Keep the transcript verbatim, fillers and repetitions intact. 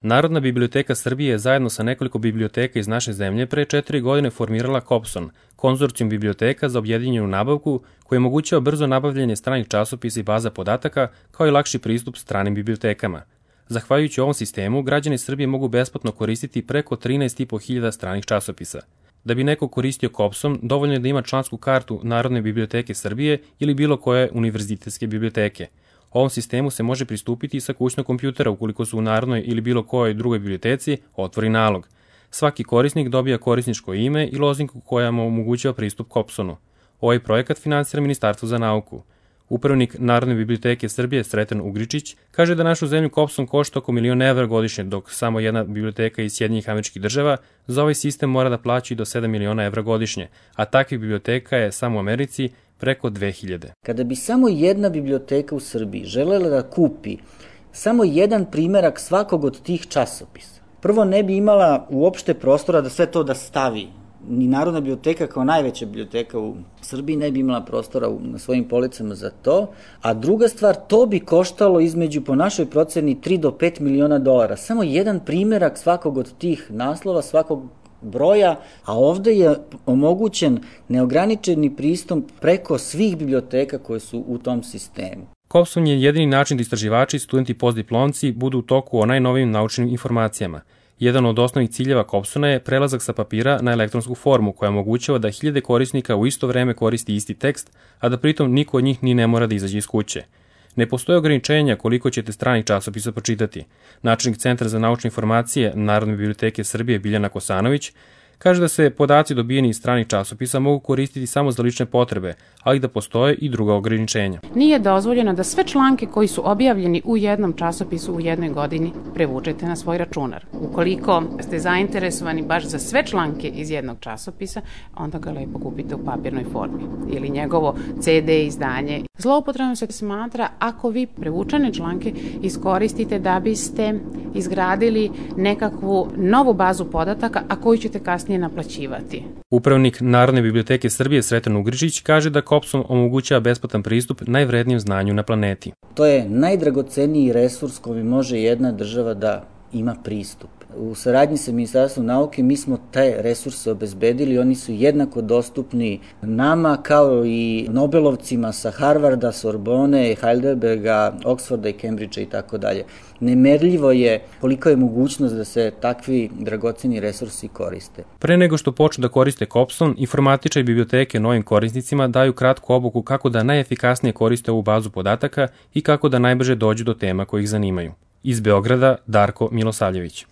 Narodna biblioteka Srbije je zajedno sa nekoliko biblioteka iz naše zemlje pre četiri godine formirala KOPSON, konzorcijum biblioteka za objedinjenu nabavku koji omogućava brzo nabavljanje stranih časopisa i baza podataka, kao i lakši pristup stranim bibliotekama. Zahvaljujući ovom sistemu, građani Srbije mogu besplatno koristiti preko trinaest i po hiljada stranih časopisa. Da bi neko koristio KOPSON, dovoljno je da ima člansku kartu Narodne biblioteke Srbije ili bilo koje univerzitetske biblioteke. Ovom sistemu se može pristupiti i sa kućnog kompjutera ukoliko su u Narodnoj ili bilo kojoj drugoj biblioteci otvori nalog. Svaki korisnik dobija korisničko ime i lozinku koja mu omogućava pristup KOPSONu. Ovaj projekat finansira Ministarstvo za nauku. Upravnik Narodne biblioteke Srbije Sreten Ugričić kaže da našu zemlju KOPSON košta oko milion evra godišnje, dok samo jedna biblioteka iz Sjedinjenih Američkih Država za ovaj sistem mora da plaća i do sedam miliona evra godišnje, a takvih biblioteka je samo u Americi preko dve hiljade. Kada bi samo jedna biblioteka u Srbiji želela da kupi samo jedan primerak svakog od tih časopisa, prvo ne bi imala uopšte prostora da sve to da stavi. Ni Narodna biblioteka kao najveća biblioteka u Srbiji ne bi imala prostora na svojim policama za to, a druga stvar, to bi koštalo između, po našoj proceni, tri do pet miliona dolara. Samo jedan primerak svakog od tih naslova, svakog broja, a ovde je omogućen neograničeni pristup preko svih biblioteka koje su u tom sistemu. KOPSON je jedini način da istraživači, studenti i postdiplomci budu u toku o najnovijim naučnim informacijama. Jedan od osnovnih ciljeva KOPSONa je prelazak sa papira na elektronsku formu koja omogućava da hiljade korisnika u isto vreme koristi isti tekst, a da pritom niko od njih ni ne mora da izađe iz kuće. Ne postoje ograničenja koliko ćete stranih časopisa pročitati. Načelnik Centra za naučne informacije Narodne biblioteke Srbije Biljana Kosanović kaže da se podaci dobijeni iz stranih časopisa mogu koristiti samo za lične potrebe, ali da postoje i druga ograničenja. Nije dozvoljeno da sve članke koji su objavljeni u jednom časopisu u jednoj godini prevučete na svoj računar. Ukoliko ste zainteresovani baš za sve članke iz jednog časopisa, onda ga lepo kupite u papirnoj formi ili njegovo ce de izdanje. Zloupotrebom se smatra ako vi prevučene članke iskoristite da biste izgradili nekakvu novu bazu podataka, a koju ćete kasnije naplaćivati. Upravnik Narodne biblioteke Srbije Sreten Ugričić kaže da KOPSON omogućava besplatan pristup najvrednijem znanju na planeti. To je najdragoceniji resurs koji može jedna država da ima pristup. U saradnji sa Ministarstvom nauke mi smo te resurse obezbedili, oni su jednako dostupni nama kao i Nobelovcima sa Harvarda, Sorbone, Heidelberga, Oxforda i Cambridgea i tako dalje. Nemerljivo je koliko je mogućnost da se takvi dragoceni resursi koriste. Pre nego što počnu da koriste KOPSON, informatičari biblioteke novim korisnicima daju kratku obuku kako da najefikasnije koriste ovu bazu podataka i kako da najbrže dođu do tema koji ih zanimaju. Iz Beograda, Darko Milosavljević.